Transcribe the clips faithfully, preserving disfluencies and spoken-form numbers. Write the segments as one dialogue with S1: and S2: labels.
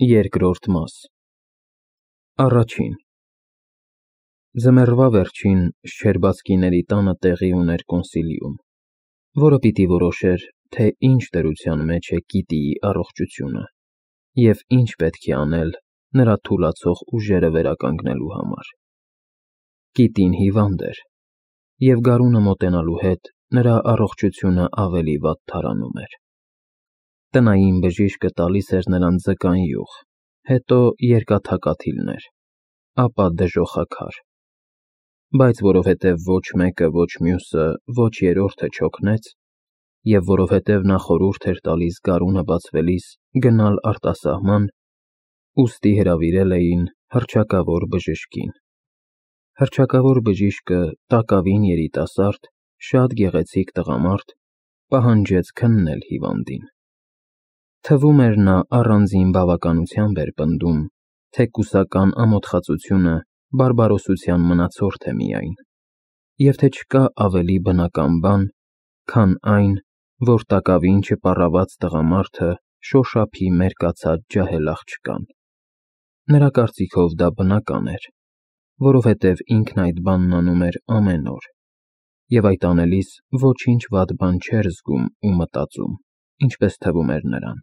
S1: Երկրորդ մաս Առաջին Ձմեռվա վերջին Շչերբացկիների տանը տեղի ուներ կոնսիլիում, որը պիտի որոշեր, թե ինչ դրության մեջ է Կիտիի առողջությունը և ինչ պետք է անել նրա թուլացող ուժերը վերականգնելու համար։ Կիտին հիվանդ էր, և գարունը մոտենալու հետ նրա առողջությունը ավելի վատ թարանում էր։ Տնային բժիշկը տալիս էր նրան ձկան յուղ, հետո երկաթակաթիլներ, ապա դժոխաքար, բայց որովհետև ոչ մեկը, ոչ մյուսը, ոչ երրորդը չօգնեց, և որովհետև նա խորհուրդ էր տալիս գարունը բացվելիս գնալ արտասահման, ուստի հրավիրել էին հռչակավոր բժշկին։ Հռչակավոր բժիշկը, տակավին երիտասարդ, շատ գեղեցիկ տղամարդ, պահանջեց քննել հիվանդին։ Թվում էր նա առանձին բավականությամբ էր պնդում, թե կուսական ամոթխածությունը բարբարոսության մնացորդ է միայն, և թե չկա ավելի բնական բան, քան այն, որ տակավին չպառաված տղամարդը շոշափի մերկացած ջահել աղջկան։ Նրա կարծիքով դա բնական էր, որովհետև ինքն այդ բանն անում էր ամեն օր, և այդ անելիս ոչինչ վատ բան չէր զգում ու մտածում, ինչպես թվում էր նրան։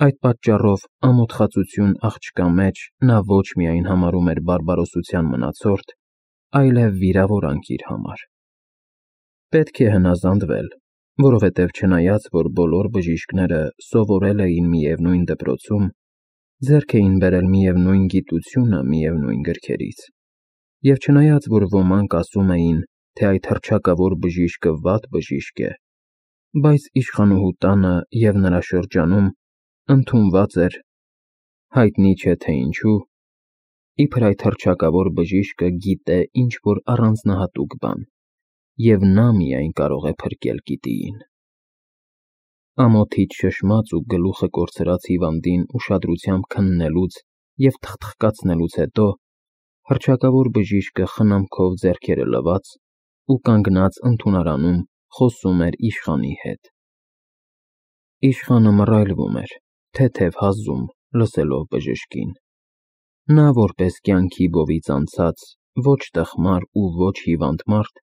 S1: Այդ պատճառով ամոթխածություն աղջկա մեջ նա ոչ միայն համարում էր բարբարոսության մնացորդ, այլև վիրավորանք իր համար։ Պետք է հնազանդվել, որովհետև չնայած, որ բոլոր բժիշկները սովորել էին միևնույն դպրոցում, ձեռք էին բերել միևնույն գիտությունը միևնույն գրքերից, և չնայած, որ ոմանք ասում էին, թե այդ հռչակավոր բժիշկը վատ բժիշկ է, բայց իշխանուհու տանը և նրա շրջանում ընդունված էր, հայտնի չէ թե ինչու, իբր այդ հռչակավոր բժիշկը գիտե ինչ-որ առանձնահատուկ բան, և նա միայն կարող է փրկել Կիտիին։ Ամոթից շշմած ու գլուխը կորցրած հիվանդին ուշադրությամբ քննելուց և թխթխկացնելուց հետո հռչակավոր բժիշկը խնամքով ձեռքերը լված ու կանգնած ընդունարանում խոսում էր իշխանի հետ։ Իշխանը մռայլվում էր, թեթև հազում, լսելով բժշկին։ Նա, որպես կյանքի բովից անցած, ոչ տխմար ու ոչ հիվանդ մարդ,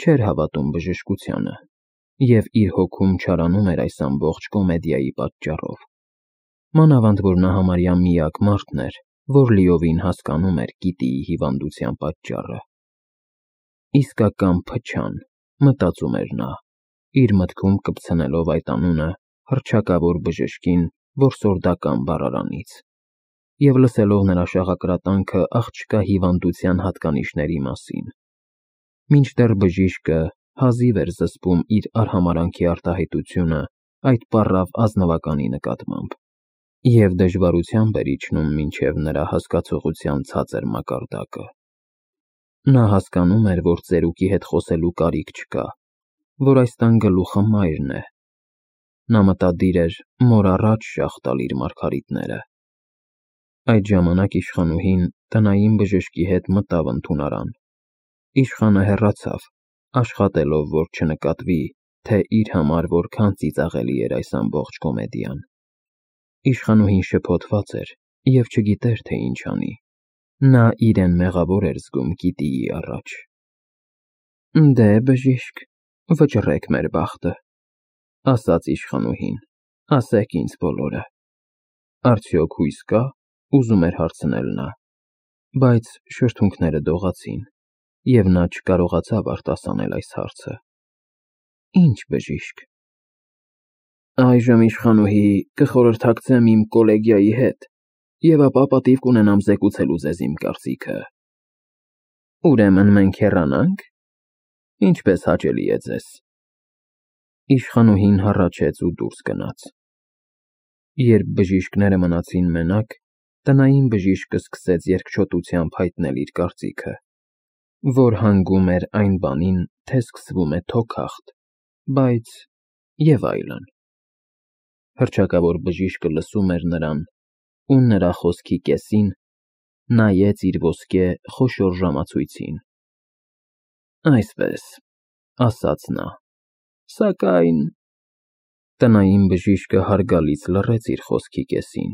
S1: չէր հավատում բժշկությանը և իր հոգում չարանում էր այս ամբողջ կոմեդիայի պատճառով։ Մանավանդ որ նա համարյա միակ մարդն էր, որ լիովին հասկանում էր Կիտիի հիվանդության պատճառը։ Իսկական փչան, մտածում էր նա, իր մտքում կպցնելով այդ անունը հռչակավոր բժշկին որսորդական բառարանից, և լսելով նրա շաղակրատանքը աղջկա հիվանդության հատկանիշների մասին, մինչդեռ բժիշկը հազիվ էր զսպում իր արհամարհանքի արտահայտությունը այդ պառավ ազնվականի նկատմամբ, և դժվարությամբ էր իջնում մինչև նրա հասկացողության ցածր մակարդակը։ Նա հասկանում էր, որ ծերուկի հետ խոսելու կարիք չկա, որ այս տան գլուխը մայրն է։ Նա մտադիր էր մոր առաջ շաղ տալ իր մարգարիտները։ Այդ ժամանակ իշխանուհին տնային բժշկի հետ մտավ ընդունարան։ Իշխանը հեռացավ, աշխատելով, որ չնկատվի, թե իր համար որքան ծիծաղելի էր այս ամբողջ կոմեդիան։ Իշխանուհին շփոթված էր և չգիտեր, թե ինչ անի։ Նա իրեն մեղավոր էր զգում Կիտիի առաջ։ Դե, բժիշկ, վճռեք մեր բախտը, ասաց իշխանուհին, ասեք ինձ բոլորը։ Արդյոք հույս կա, ուզում էր հարցնել նա, բայց շրթունքները դողացին, և նա չկարողացավ արտասանել այս հարցը։ Ինչ բժիշկ։ Այժմ իշխանուհի կխորհրդակցեմ իմ կոլեգիայի հետ, և ապա պատիվ կունենամ զեկուցելու ձեզ իմ կարծիքը։ Ուրեմն մենք հեռանա՞նք։ Ինչպես հաճելի է ձեզ։ Իշխանուհին հառաչեց ու դուրս գնաց։ Երբ բժիշկները մնացին մենակ, տնային բժիշկը սկսեց երկչոտությամբ հայտնել իր կարծիքը, որ հանգում էր այն բանին, թե սկսվում է թոքախտ, բայց… և այլն։ Հռչակավոր բժիշկը լսում էր նրան ու նրա խոսքի կեսին նայեց իր ոսկե խոշոր ժամացույցին։ Այսպես, ասաց նա, սակայն… Տնային բժիշկը հարգալից լռեց իր խոսքի կեսին,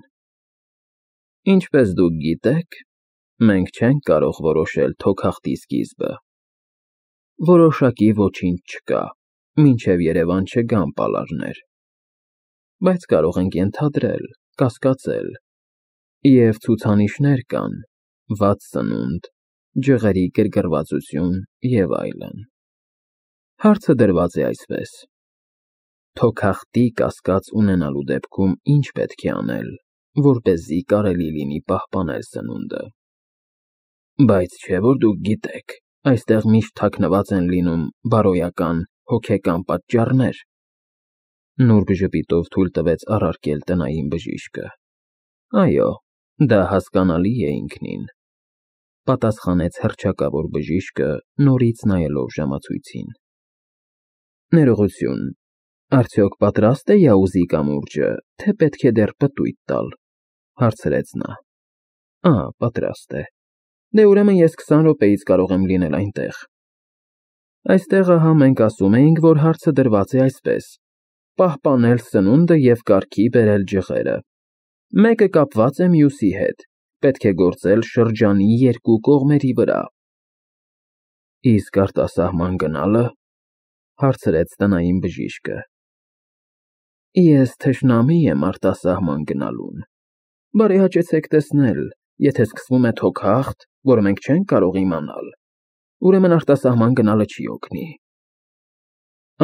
S1: Ինչպես դուք գիտեք, մենք չենք կարող որոշել թոքախտի սկիզբը։ Որոշակի ոչինչ չկա, մինչև Երևան չգան պալարներ, բայց կարող ենք ենթադրել, կասկածել, և ցուցանիշներ կան, վատ սնունդ, ջղերի գրգռվածություն և այլն։ Հարցը դրված է այսպես. թոքախտի կասկած ունենալու դեպքում ինչ պետք է անել, որպեսզի կարելի լինի պահպանել սնունդը։ Բայց չէ՞ որ դուք գիտեք, այստեղ միշտ թաքնված են լինում բարոյական, հոգեկան պատճառներ։ Նուրբ ժպիտով թույլ տվեց առարկել տնային բժիշկը։ Այո, դա հասկանալի է ինքնին, պատասխանեց հռչակավոր բժիշկը, նորից նայելով ժամացույցին։ Ներողություն, արդյոք պատրաստ է Յաուզի կամուրջը, թե պետք է դեռ պտույտ տալ, հարցրեց նա։ Ահա, պատրաստ է։ Դե ուրեմն ես քսան րոպեից կարող եմ լինել այնտեղ։ Այստեղ ահա մենք ասում էինք, որ հարցը դրված է այսպես. պահպանել սնունդը և կարգի բերել ջղերը։ Մեկը կապված է մյուսի հետ, պետք է գործել շրջանի երկու կողմերի վրա։ Իսկ արտասահման գնալը, հարցրեց տնային բժիշկը։ Ես թշնամի եմ արտասահման գնալուն։ Բարեհաճեցեք տեսնել, եթե սկսվում է թոքախտ, որ մենք չենք կարող իմանալ, ուրեմն արտասահման գնալը չի օգնի։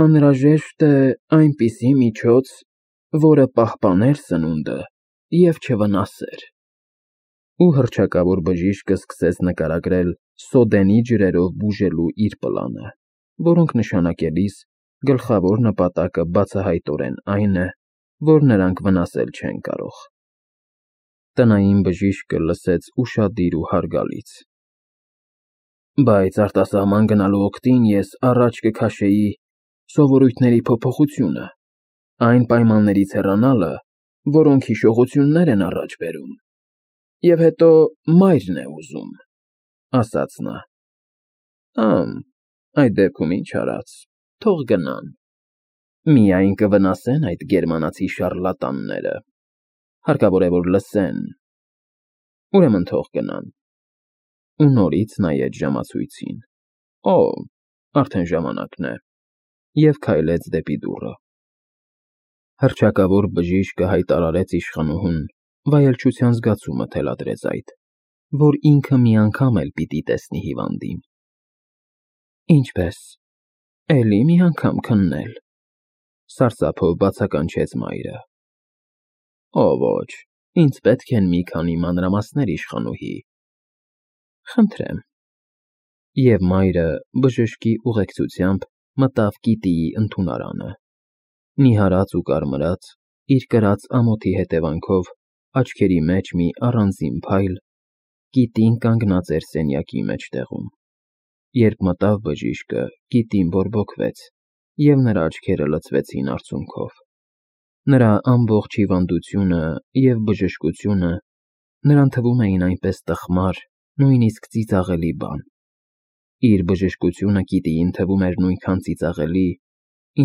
S1: Անհրաժեշտ է այնպիսի միջոց, որը պահպաներ սնունդը և չվնասեր։ Ու հռչակավոր բժիշկը սկսեց նկարագրել սոդենի ջրերով բուժելու իր պլանը, որոնք նշանակելիս գլխավոր նպատակը բացահայտորեն այն է, որ նրանք վնասել չեն կարող։ Տնային բժիշկը լսեց ուշադիր ու հարգալից։ Բայց արտասահման գնալու օգտին ես առաջ կքաշեի սովորույթների փոփոխությունը, այն պայմաններից հեռանալը, որոնք հիշողություններ են առաջ բերում, և հետո մայրն է ուզում, ասաց նա։ Ամ, այդ դեպքում ինչ արած, թող գնան։ Միայն կվնասեն այդ գերմանացի շառլատանները, հարկավոր է, որ լսեն, ուրեմն թող գնան։ Ու նորից նայեց ժամացույցին։ Օ, արդեն ժամանակն է, և քայլեց դեպի դուռը։ Հռչակավոր բժիշկը հայտարարեց իշխանուհուն, վայելչության զգացումը թելադրեց այդ, որ ինքը մի անգամ էլ պիտի տեսնի հիվանդին։ Ինչպե՞ս, էլի մի անգամ քննել, սարսափով բացականչեց մայրը։ Օ ոչ, ինձ պետք են մի քանի մանրամասներ, իշխանուհի։ Խնդրեմ։ Եվ մայրը բժշկի ուղեկցությամբ մտավ Կիտիի ընդունարանը։ Նիհարած ու կարմրած, իր կրած ամոթի հետևանքով աչքերի մեջ մի առանձին փայլ, Կիտին կանգնած էր սենյակի մեջտեղում։ Երբ մտավ բժիշկը, Կիտին բորբոքվեց, և նրա աչքերը լցվեցին արցունքով։ Նրա ամբողջ հիվանդությունը և բժշկությունը նրան թվում էին այնպես տխմար, նույնիսկ ծիծաղելի բան։ Իր բժշկությունը Կիտիին թվում էր նույնքան ծիծաղելի,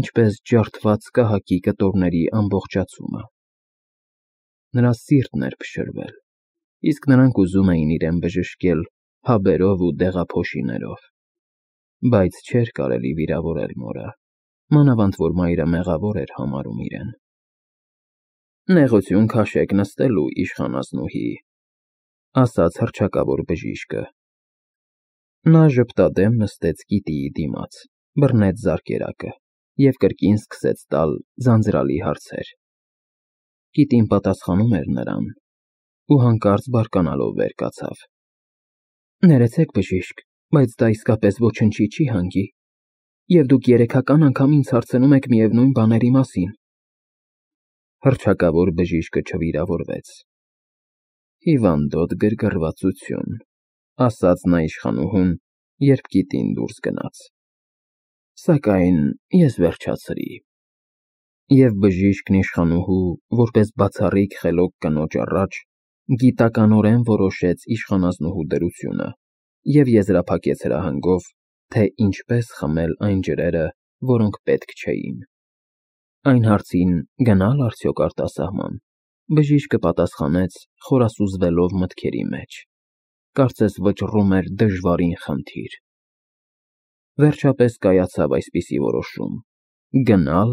S1: ինչպես ջարդված կահակի կտորների ամբողջացումը։ Նրա սիրտն էր փշրվել, իսկ նրանք ուզում էին իրեն բժշկել հաբերով ու դեղափոշիներով, բայց չէր կարելի վիրավորել մորը, մանավանդ որ մայրը մեղավոր էր համարում իրեն։ Նեղություն քաշեք նստելու, իշխանասնուհի, ասաց հռչակավոր բժիշկը։ Նա ժպտադեմ նստեց Կիտիի դիմաց, բռնեց զարկերակը և կրկին սկսեց տալ ձանձրալի հարցեր։ Կիտին պատասխանում էր նրան ու հանկարծ բարկանալով վեր կացավ։ Ներեցեք, բժիշկ, բայց դա իսկապես ոչնչի չի հանգի, և դուք երեքական անգամ ինձ հարցնում եք միևնույն բաների մասին։ Հռչակավոր բժիշկը չվիրավորվեց։ Հիվանդոտ գրգռվածություն, ասաց նա իշխանուհուն, երբ Կիտին դուրս գնաց։ Սակայն ես վերջացրի։ Եվ բժիշկն իշխանուհու, որպես բացառիկ խելոք կնոջ առաջ, գիտականորեն որոշեց իշխանազնուհու դրությունը և եզրափակեց հրահանգով, թե ինչպես խմել այն ջրերը, որոնք պետք չէին։ Այն հարցին՝ գնա՞լ արդյոք արտասահման, Բժիշկը պատասխանեց, խորասուզվելով մտքերի մեջ, կարծես վճռում էր դժվարին խնդիր։ Վերջապես կայացավ այսպիսի որոշում. գնալ,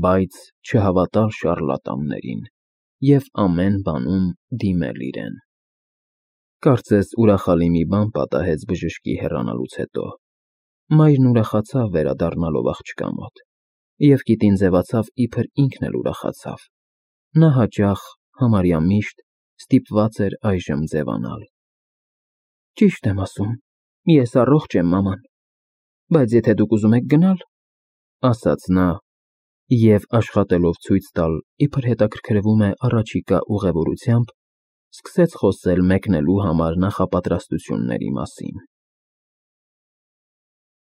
S1: բայց չհավատալ շառլատաններին և ամեն բանում դիմել իրեն։ Կարծես ուրախալի մի բան պատահեց բժշկի հեռանալուց հետո։ Մայրն ուրախացավ վերադառնալով աղջկա մոտ, և կիտին ձևացավ, իբր ինքն էլ ուրախացավ։ Նա հաճախ, համարյա միշտ ստիպված էր այժմ ձևանալ։ Ճիշտ եմ ասում, ես առողջ եմ, մաման, բայց եթե դուք ուզում եք գնալ, ասաց նա և, աշխատելով ցույց տալ, իբր հետաքրքրվում է առաջիկա ուղևորությամբ, սկսեց խոսել մեկնելու համար նախապատրաստությունների մասին։